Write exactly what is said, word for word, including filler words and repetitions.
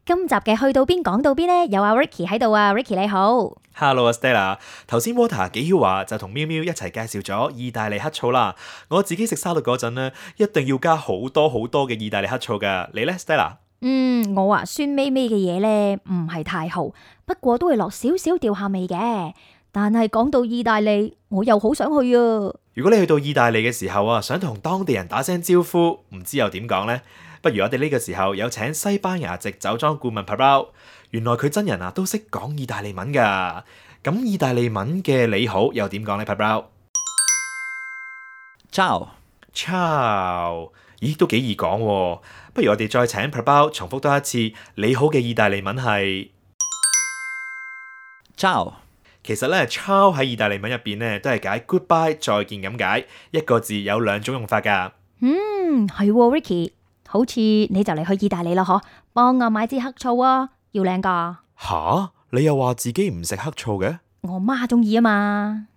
今集嘅去到邊講到邊呢？有阿 Ricky 喺度啊 ，Ricky 你好。Hello 啊 Stella， 頭先 Water 幾曉話就同喵喵一齊介紹咗意大利黑醋啦。我自己食沙律嗰陣呢，一定要加好多好多嘅意大利黑醋噶。你呢 Stella？嗯，我話酸味味嘅嘢呢，唔係太好，不過都會落少少調下味嘅。但係講到意大利，我又好想去啊！如果你去到意大利嘅時候啊，想同當地人打聲招呼，唔知又點講呢？不如我哋呢個時候有請西班牙籍酒莊顧問 Pablao， 原來佢真人啊都識講意大利文噶。咁意大利文嘅你好又點講呢 Pablao？ Ciao Ciao， 咦都幾易講喎。不如我哋再請 Pablao 重複多一次你好嘅意大利文係 Ciao。其實咧 Ciao 喺意大利文入邊咧都係解 goodbye 再見咁解，一個字有兩種用法噶。嗯，係喎 Ricky，好似你就嚟去意大利啦嗬，幫我買支黑醋啊，要靚噶。吓？你又話自己唔食黑醋嘅？我媽中意啊嘛。